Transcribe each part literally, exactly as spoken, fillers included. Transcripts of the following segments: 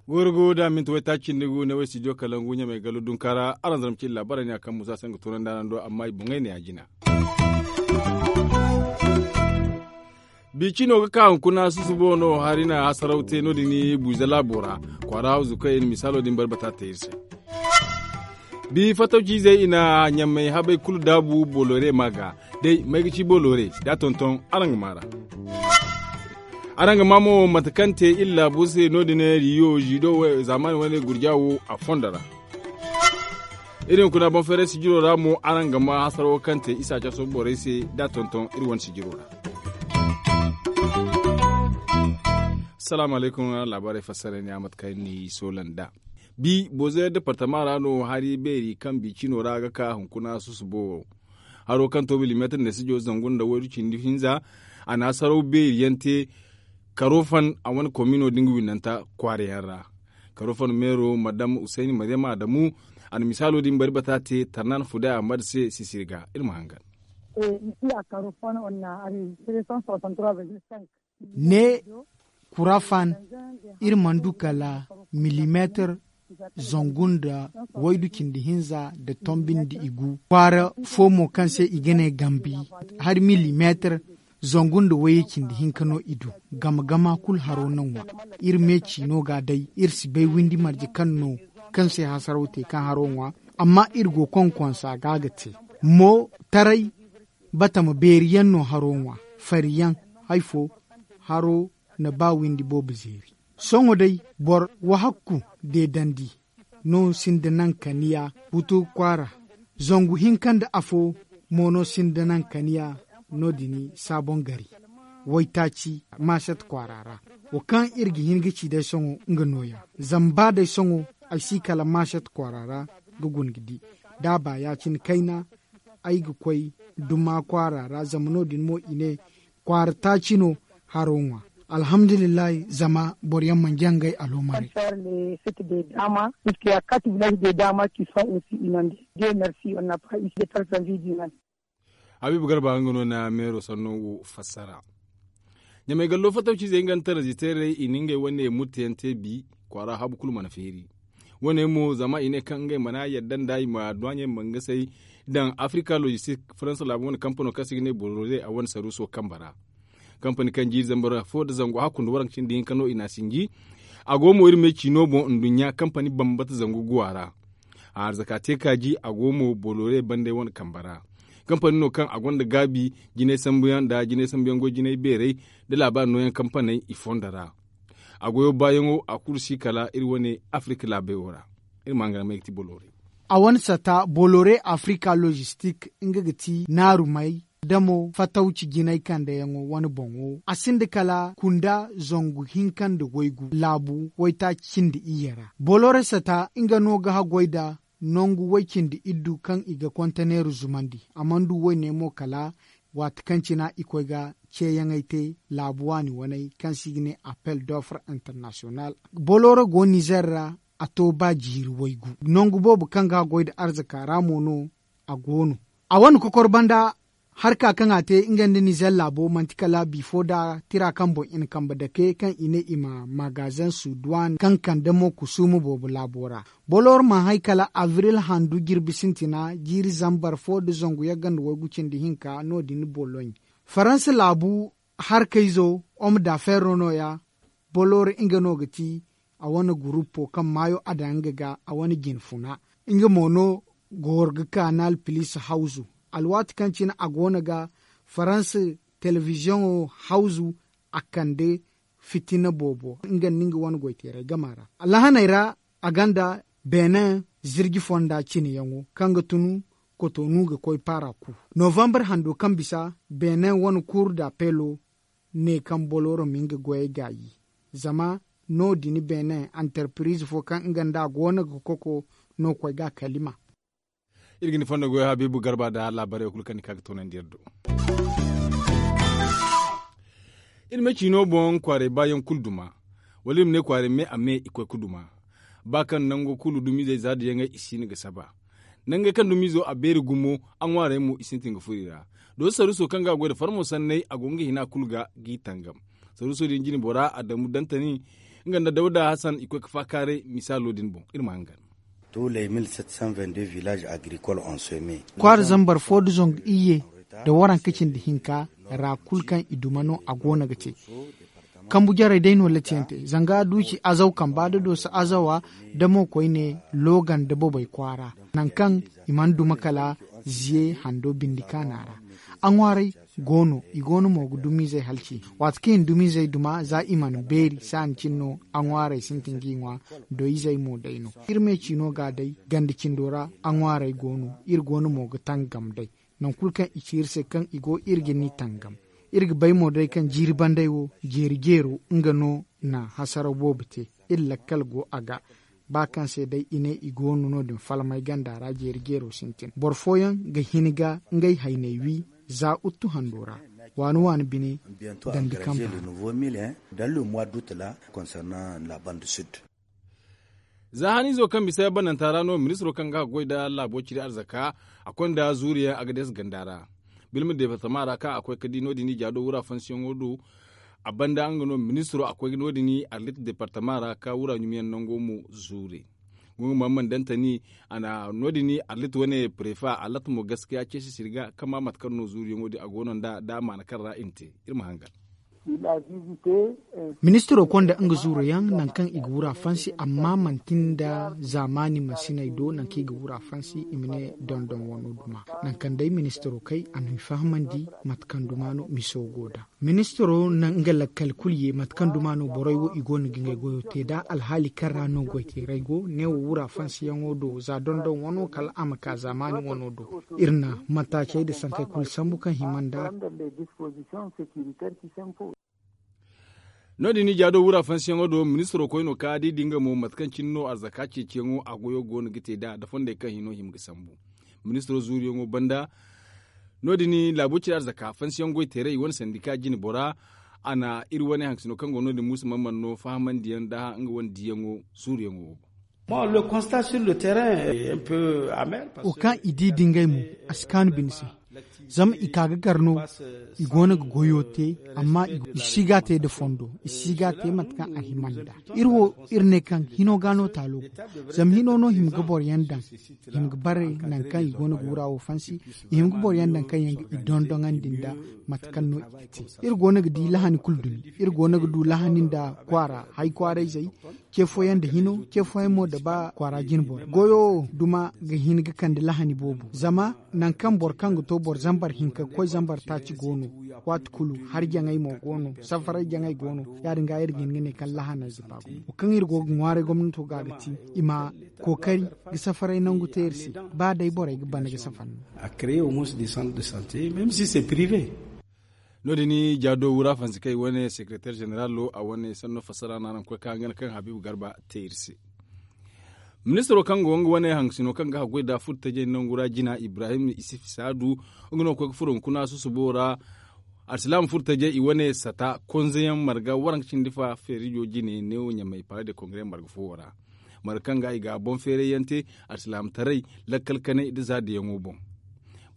Gorgo da minti waytaaci nda gu ne way studio kalangu ɲamay gallo dunkaara araŋ zarma cindi laabaarey ne a kaŋ musa se nga toonandi araŋ do amma i boŋey ne a jina. Biicino ga ka hunkuna susubo no hari na hasaraw te no- din buuza laabo ra. Kwaara hawzu kaŋ i na misaalo din bari bata te iri se. Bi fatawciizey i na ɲamay habey kulu daabu bolore ma ga day may ga ci bolore da tonton araŋ ga maara. Araŋ ga maa mo mate kaŋ te iri laabu se no- din riyo zido zaamaani wane gurja wo a fondo ra. Iri hunkuna boŋ feeray sijiro ra mo araŋ ga maa hasaro kaŋ te isa caso borey se da tonton iri wane sijiro ra. Salaamu alaykum. Laabaarey fassara ne a mate kaŋ ni soola nd'a. Bi bozo departama ra no hari beeri kaŋ bi cino ra ga ka hunkuna susubo. Haro kaŋ to milimeetir nda sijo zangu nda waydu cindi hinza a na hasaraw beeri yaŋ te. Karo fan a wane komino da nga windanta kwaara yaŋ ra. Karo fan meero madam husayni maryama adamu a na misaalo din bari bata te tarnan fuday ahmad se sisiri ga iri ma hangan. Ne kura fan iri mana du kala milimeetir zangu nda waydu cindi hinza nda tombi nda igu kwaara fo mo kaŋ se i ga ne gambi hari milimeetir zangu nda wayye cindi hinka no i du. Gama gama kulu haro na ŋwa. Iri me ciino ga day iri si bay windi marje kaŋ no kaŋ se hasaraw te kaŋ haro ŋwa. Amma iri go konkonsa ga ga te mo taray batama beeri yaŋ no haro ŋwa. Fari yaŋ hari fo haro na ba windi boobo zeeri. Sohõ day boro wahakku deedandi no sinda naŋ kaniya butu kwaara. Zangu hinka nda afo mo no sinda naŋ kaniya no- din saaboŋ gari waytaaci maset kwaara ra. Wo kaŋ iri ga hin ga ci day sohõ nga nooya zama ba day sohõ ay si kala maset kwaara ra ga guna ga di da a ba ya- cine kayna ay ga koy duma kwaara ra zama no- din mo i ne kwaara taaci no haro ŋwa. Alhamdulillahi zama boro yaŋ mana jaŋ ngey aloomare. Site de dama puisque ya kati village de dama ki son aussi inonde. Dieu merci on na pas ici de personne vie du monde. Habiibu garba nga no na meero sanno wo fassara. Ɲamay gallo fatawciizey nga nda taraziteerey i na ngey wane murteyaŋ te bi kwaara habu kulu mana feeri. Wane mo zama i ne kaŋ ngey mana yadda nda i ma duwaaɲey mangasey daŋ afrika logistik faransa laabu wane kampano kaŋ se i ga ne borore a wane saruuso kambe ra. Kampani kaŋ jiiri zambar fo nda zangu hakku nda waranka cindi hinka no i n'a sinji. A go mo iri me ciino boŋ nduɲɲa kampani bambata zangu guwa ra. A arzaka te kaaji a go mo bolore bande wane kambe ra. Kampani no kaŋ a gonda gaabi jinay sambuyaŋ nda jinay sambuyaŋ goy jinay beerey nda laabaari nooyaŋ kampaney i fondo ra. A goyo baayaŋo a kulu si kala iri wane afirika laabey wo ra. Iri ma nga may ga ti bolore. A wane sata bolore afirika logistik nga ga ti naarumey damo fatawci jinay kandeyaŋo wane boŋo a sinda kala kunda zangu hinka nda waygu laabu waytaaci cindi iyye ra. Bolore sata nga no ga haggoy nda nangu way cindi iddu kaŋ i ga konteneeru zumandi a mana du wayne mo kala waati kaŋ cina i koy ga ceeyaŋey te laabu waani waney kaŋ se i ga ne appel d'offre international. Bolore go nizer ra a to ba jiiri waygu nangu boobo kaŋ ga a goy nda arzaka ra mo no a go no. A wane kokor banda harka kaŋ a te nga nda nizer laabo manti kala bifo nda tira kaŋ boŋ i na kambe dake kaŋ i ne i ma magazen suduwan kaŋ kande mo kusuuma boobo laabo ra. Bolor ma hay kala abril handu jirbi sintina jiiri zambar fo nda zangu yagga nda waygu cindi hinka no- din boloɲ. Faransa laabu harkayzo hom da ferro nooya. Bolor nga no ga ti a wane gurupo kaŋ maayo a daŋ nga ga a wane jinfuna. Nga mo no goro ga kanal pilis hawzu alwaati kaŋ cine a go no ga faransa telebiziyoŋo hawzu a kande fitina boobo nga nda nga wane goyteeray gama ra. Lahaney ra a gonda benin zirji fonda cineyaŋo kaŋ ga tun kotonu ga koy paara ku. Novambar hando kaŋ bisa benin wane kuur da peelo ne kaŋ boloro ma nga goyey gaayi. Zama no- din benin antarpiriz fo kaŋ nga nda a go no ga koko no koy ga a kalima. Iri ga ni fondo goyo habiibu garba nda laabaarey kulu kaŋ ni ka ga toonandi iri do. Iri ma ciino boŋ kwaaray baayaŋ kulu duma wala iri ma ne kwaaray me a me i koy ga duma. Ba kaŋ nango kulu dumizey za nda yaŋey i si no ga saba. Nangey kaŋ dumiizo a beeri gumo, a ŋwaarey mo i sintin ga furo i ra. Dooso saruuso kaŋ ga a goy nda farmo sanney, a go nga hina kulu ga g'i tangam. Saruuso din jine bora a damu dantani, nga nda dawda hasan i koy ga faakaaray misaalo din boŋ. Iri ma hangan. Kwaara zambar fo nda zangu iyye nda waranka cindi hinka ra kulu kaŋ i duma no a go no ga te. Kambu jarey day no latiyaŋ te zanga duuci azaw kamba nda dooso azawa, nda mo koyne looga nda bobey kwaara, nangu kaŋ i mana duma kala ziye hando bindi kaana ra. A ŋwaaray go no i go no mo ga dumiizey halci. Waati kaŋ i na dumiizey duma za i mana beeri saani cine no a ŋwaarey sintin g'i ŋwa. Doyizey mo day no iri me ciino ga day ganda cindo ra. A ŋwaarey go no iri go no mo ga tangam day. Nangu kulu kaŋ i ci iri se kaŋ i go iri ga ni tangam. Iri ga bay mo day kaŋ jiiri banday wo jeeri jeero nga no na hasaraw boobo te. Iri lakkal go a ga ba kaŋ se day i ne i go no no- din falmay ganda ra jeeri jeero sintin boro fooyaŋ ga hin ga ngey hayney wi. Za uttu hando ra waani waani bine dandi kamba ra. Za haniizo kaŋ bisa bananta ra no ministiro kaŋ ga a ga goy nda laabo ciri arzaka a konda zuuriyaŋ a ga deesa ganda ra. Bilma deepartama ra kaŋ a koy ga di no- din i jaado wura fansiyaŋo do. A banda nga no ministiro a koy no- din arlit deepartama ra ka wura ɲumiyaŋ nango mo zuure. Gungu ma man dantani a na no- din arlit wane prefa a latta mo gaskiya ceesi sirga kaŋ ma mate kaŋ no zuuriyaŋo din a go no nda da a maana kaŋ ra i na te. Iri ma hangan. Ministiro konda nga zuuruyaŋ nangu kaŋ i ga wura fansi amma manti nda zaamaani mansiney do nangu kaŋ i ga wura fansi i ma ne dondon wano duma. Nangu kaŋ day ministiro kay a na i fahamandi mate kaŋ duma no miso go da. Ministiro na nga lakkal kulu ye mate kaŋ duma no borey wo i go no ga ngey goyo te da alhaali kaŋ ra no goyteerey go ne wo wura fansiyaŋo do za dondon wano kala a ma ka zaamaani wano do. Iri na mataacey nda sankey kulu sambu kaŋ hima nda. No- din ija do wura fansiyaŋo do ministiro koyno ka di da nga mo mate kaŋ cine no arzaka ceeciyaŋo a goyo go no ga te nd'a da fondey kaŋ hino hima ga sambu. Ministiro zuuriyaŋo banda no- din laabo cire arzaka fansiyaŋ goy teeray i wane sandika jine bora. A na iri wane haŋsino kaŋ go no- din muusa mana mana no fahamandiyaŋ nda nga wane diyaŋo zuuriyaŋo wo boŋ. Wo kaŋ i di da ngey mo a si kaanu bine se. Zama i ka ga gar no i go no ga goyo te amma i si ga te nda fondo i si ga te mate kaŋ a hima nda. Iri wo iri ne kaŋ hino ga no taalo go. Zama hino no hima ga boro yaŋ daŋ hima ga bare nangu kaŋ i go no ga wura wo fansi. I hima ga boro yaŋ daŋ kaŋ yaŋ ga i dondoŋandi nda mate kaŋ no i ga te. Iri go no ga di lahani kulu dumi. Iri go no ga du lahani nda kwaara hay kwaarayzey. Ce fooyaŋ nda hino ce fooyaŋ mo nda ba kwaara jine boro goyo wo duma ga hin ga kande lahani boobo zama nangu kaŋ boro kaŋ ga to boro zambar hinka ga koy zambar taaci go no. Waati kulu hari jaŋay mo go no safaray jaŋay go no. Ya- din ga iri ga hin ga ne kaŋ lahanayze ba gumo wo kaŋ iri go ga ŋwaaray gomnato ga ga ti i ma kookari ga safaray nangu te iri se. Ba day borey ga bana ga safar no. No- din i ja do wura fansi kaŋ i wane sekereteer ženeralo a wane sanno fassara no araŋ ga koy ka hangan kaŋ habiibu garba te iri se. Ministiro kaŋ go nga wane haŋsino kaŋ ga haggoy nda furo tajey nangu ra jina ibrahim isif saadu nga no ga koy ga furo hunkuna susubo ra. Alsilaama furo tajey i wane sata konzeyaŋ marga waranka cindi fa feerijo jine neewo ɲamay pale de kongare marga foowo ra. Marga kaŋ ga i ga boŋ feeray yaŋ te alsilaama taray lakkal kanay nda zaadayaŋo boŋ.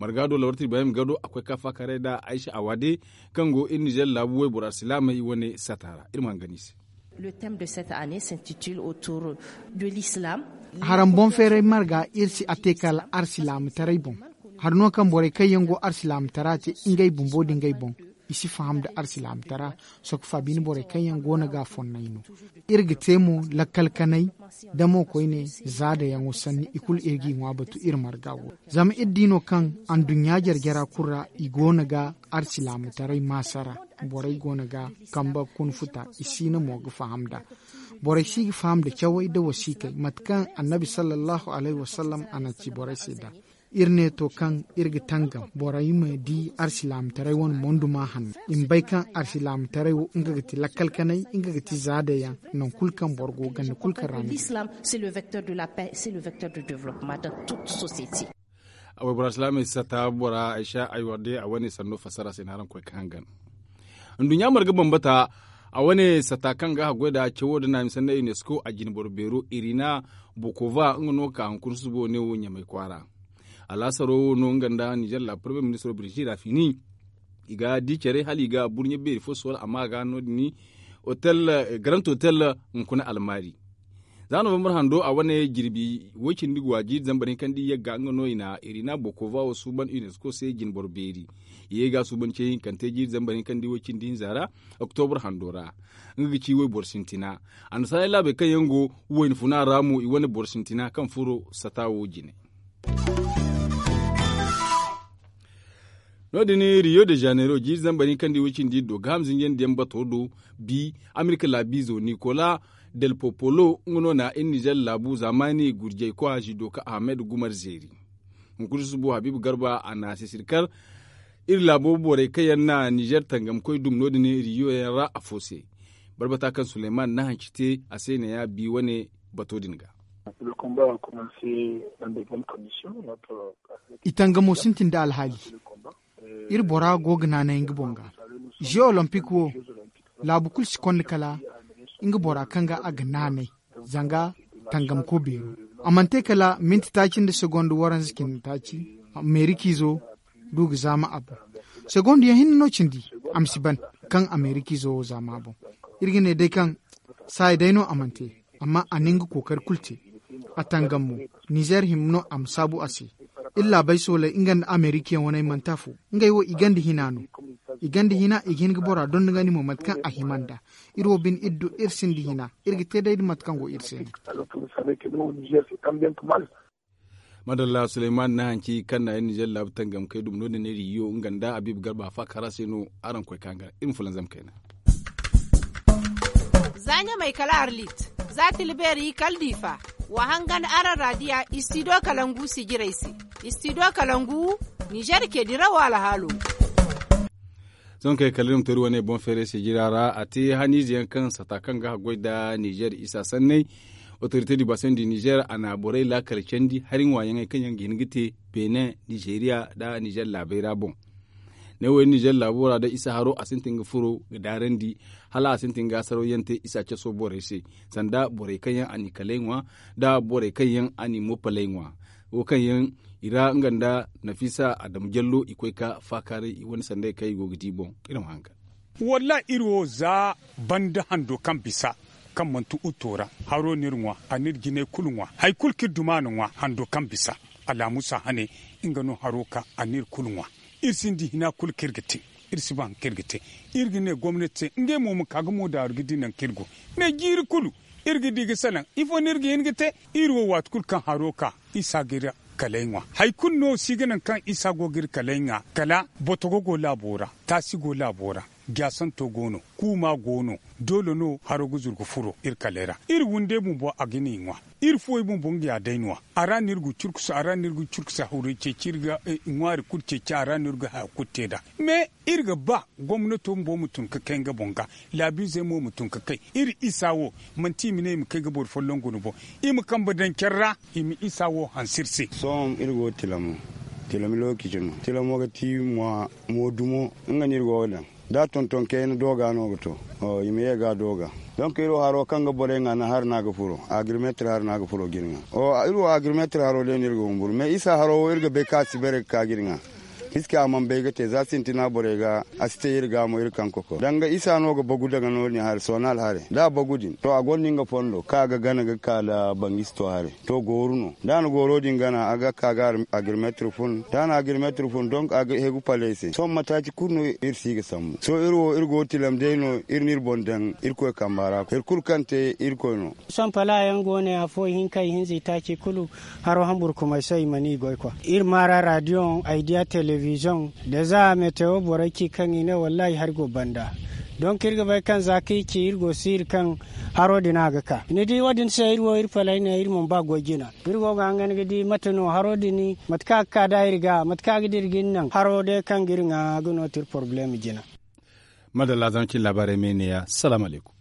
Marga do lawarti ibrahim gado a koy ka faakaray nda aysa awaade kaŋ go iri nizer laabu wayboro alsilaamey wane sata ra iri ma hangan i se. Haraŋ boŋ feeray marga iri si a te kala alsilaama taray boŋ. Hari no kaŋ borey kaŋ yaŋ go alsilaama tara te ngey bumbo nda ngey boŋ i si faham nda alsilaama tara. Sohõ faabin borey kaŋ yaŋ go no ga a fonnay no. Iri ga te mo lakkal kanay da mo koyne zaadayaŋo sanni i kulu iri g'i ŋwa batu iri marga wo. Zama iri di no kaŋ anduɲɲa jare jara kulu ra i go no ga alsilaama taray maasara. Borey go no ga kamba kuna futa i siina mo ga faham nd'a. Borey si ga faham nda cawey nda wasiikey mate kaŋ annabi sallallahu alayhi wasallam a na ci borey se nd'a. Iri ne to kaŋ iri ga tangam borey ma di alsilaama taray wane monduma hanno i ma bay kaŋ alsilaama taray wo nga ga ti lakkal kanay nga ga ti zaadayaŋ. Nangu kulu kaŋ boro go ganda kulu kaŋ ra no. A waybora alsilaamey si sata bora aysa aywarde a wane sanno fassara se ni haraŋ koy ga hangan. Nduɲɲa marga bambata a wane sata kaŋ ga haggoy nda cawo nda naami sanna unesco a jine boro beero irina bokova nga no ka hunkuna susubo ne wo ɲamay kwaara. Alaasaro wo no nga nda nizer laabu porobiyem ministiro birjira fini. I ga di care hala i ga burɲe beeri fo soola amma a ga no- din, garant hotel hunkuna almaari. Za novembar hando a wane jirbi woy cindi ga wa jiiri zambar hinkandi yagga nga no i na irina bokova wo suuban unesco se jinboro beeri. I ye ga suuban ce hinkante jiiri zambar hinkandi woy cindi hinza ra, oktobar hando ra. Nga ga ci woy boro sintina. Annasaarey laabey kaŋ yaŋ go wayna funa ra mo i wane boro sintina kaŋ furo sata wo jine. No- din rio de janeiro jiiri zambar hinkandi woy cindi do gaaham zinjandi yaŋ bato do. Bi amerika laabiizo nicolas del popolo nga no na iri nizer laabu zaamaani gurjay koy a si do ka ahmed gumar zeeri. Hunkuna susubo habiibu garba a na sisiri kar iri laabo borey kaŋ yaŋ na nizer tangamkoy dum no- din rio yaŋ ra afo se. Barbata kaŋ suleyman na hanci te a se ne ya bi wane bato din ga. I tangamo sintin nda alhaali. Iri bora go ga naanay nga boŋ ga. Jeux olympique wo laabu kulu si konda kala nga bora kaŋ ga a ga naanay. Zanga tangamko beero a mana te kala minti taaci nda segonda waranza cindi taaci. Meerik'izo du ga zaama a boŋ. Segonda yaŋ hinne no cindi a ma si ban kaŋ a meerik'izo wo zaama a boŋ. Iri ga ne day kaŋ saaya day no a mana te. Amma a na nga kookari kulu te. A tangam mo nizer hima no a ma saabu a se. Iri laabey sooley nga nda amerika yaŋ waney manti afo. Ngey wo i ganda hina no. I ganda hina i ga hin ga bora dondonandi mo mate kaŋ a hima nd'a. Iri wo bine iri du iri sinda hina. Iri ga te day da mate kaŋ go iri se no. Madalla suleyman na hanci kaŋ na iri nizer laabu tangamkey dum no- din iri yo nga nda habiibu garba faakara se no. Araŋ koy ka nga iri ma fulanzam kayna. Za ɲamay kala arlit, za tilbeeri kala diifa. Wa hangan araŋ raadiya istido kalangu sijirey se. Istido kalangu nizer ke dirawo alhaalo. Sohõ kay kala iri ma to iri wane boŋ feeray sijira ra a te haniize yaŋ kaŋ sata kaŋ ga haggoy nda nizer isa sanney. Otorite di basen di nizer a na borey laakal candi hari ŋwaayaŋey kaŋ yaŋ ga hin ga te benin nizeriya nda nizer laabey ra boŋ. Ne wo iri nizer laabo ra day isa haro a sintin ga furo ga daarandi hala a sintin ga asaraw yaŋ te isa caso borey se. Sanda borey kaŋ yaŋ a n'i kaley ŋwa nda borey kaŋ yaŋ a n'i mopaley ŋwa. Wo kaŋ yaŋ i ra nga nda nafisa adamu jallo i koy ka faakaaray i wane sanday kaŋ i go ga di boŋ. Iri ma haŋ ga. Wallahi iri wo za banda hando kaŋ bisa kaŋ manti uto ra haro no iri ŋwa a n'iri jinay kulu ŋwa hari kulu kaŋ iri duma na ŋwa hando kaŋ bisa. Alaamusa hane nga no haro ka a n'iri kulu ŋwa. Iri sinda hina kulu kaŋ iri ga te. Iri si ba hari kaŋ iri ga te. Iri ga ne gomnati se ngey mo ma ka ga mo daaru ga di nangu kaŋ iri go. Mais jiiri kulu iri ga di ga salaŋ ifo no iri ga hin ga te? Iri wo waati kulu kaŋ haro ka isa ga iri kalay ŋwa hari kulu no si ga naŋ kaŋ isa go ga iri kalay ŋwa kala botogo go laabo ra, taasi go laabo ra, jaasanto go no, kuuma go no. Doole no haro ga zuru ga furo iri kalay ra. Iri wunday bumbo a ga ni ŋwa. Iri fuwey bumbo nga ya day no a ra no iri ga curkusa a ra no iri ga curkusa hawray ceeci iri ga ŋwaari kulu ceeci a ra no iri ga haya kulu te nd'a. Mais iri ga ba gomnato bumbo ma tun ga kay nga boŋ ga. Laabiizey mo ma tun ga kay iri isa wo manti i ma ne i ma kay ga boro folloŋ guna boŋ. I ma kambe daŋ care ra i ma isa wo hanse iri se. Sohõ iri go tilamo tilami lookaci no tilamo ga ti mo dumo. Nga no iri go ga daŋ da tonton kayna dooga no ga to. I ma ye ga dooga. Donk iri wo haro kaŋ ga borey ŋwa na hari no a ga furo agrimeetir hari no a ga furo ga iri ŋwa. Iri wo agrimeetir haro day no iri ga humburu mais isa haro wo iri ga bay kaŋ a si bare ga ka ga iri ŋwa. Piski a mana bay ga te za sintina borey ga a si te iri ga mo iri kaŋ kokoro danga isa no ga bagu daga no- din hari soonal hare da a bagu din to a gonda nga fondo kaŋ a ga gana ga ka nda bangisto hare. To gooru no da a na gooro din gana a ga ka ga agrimeetir fun da a na agrimeetir fun donk a ga hegu paley se sohõ mataaci kulu no iri si ga sambu sohõ iri wo iri go tilam day no iri no iri boŋ daŋ irkoy kamba ra hari kulu kaŋ te irkoy no. Sohõ pala yaŋ go ne afo ihinka ihinza itaaci kulu. Haro hamburkumay sohõ i mana i goy kwa iri maara radiyoŋ aydiya telebizoŋ da za metewo borey ci kaŋ i ne wallahi hari go banda. Donk iri ga bay kaŋ za kaŋ i ci iri go siiri kaŋ haro din a ga ka ni di wo- din se iri wo iri palay ne iri mana ba goy jina. Iri go ga hangan ga di mate no haro din mate kaŋ a ga ka da iri ga mate kaŋ a ga dira ga iri naŋ haro day kaŋ ga iri ŋwa ga no ti iri poroblem jina. Madalla zama cin laabaarey me neeya salaamu alaykum.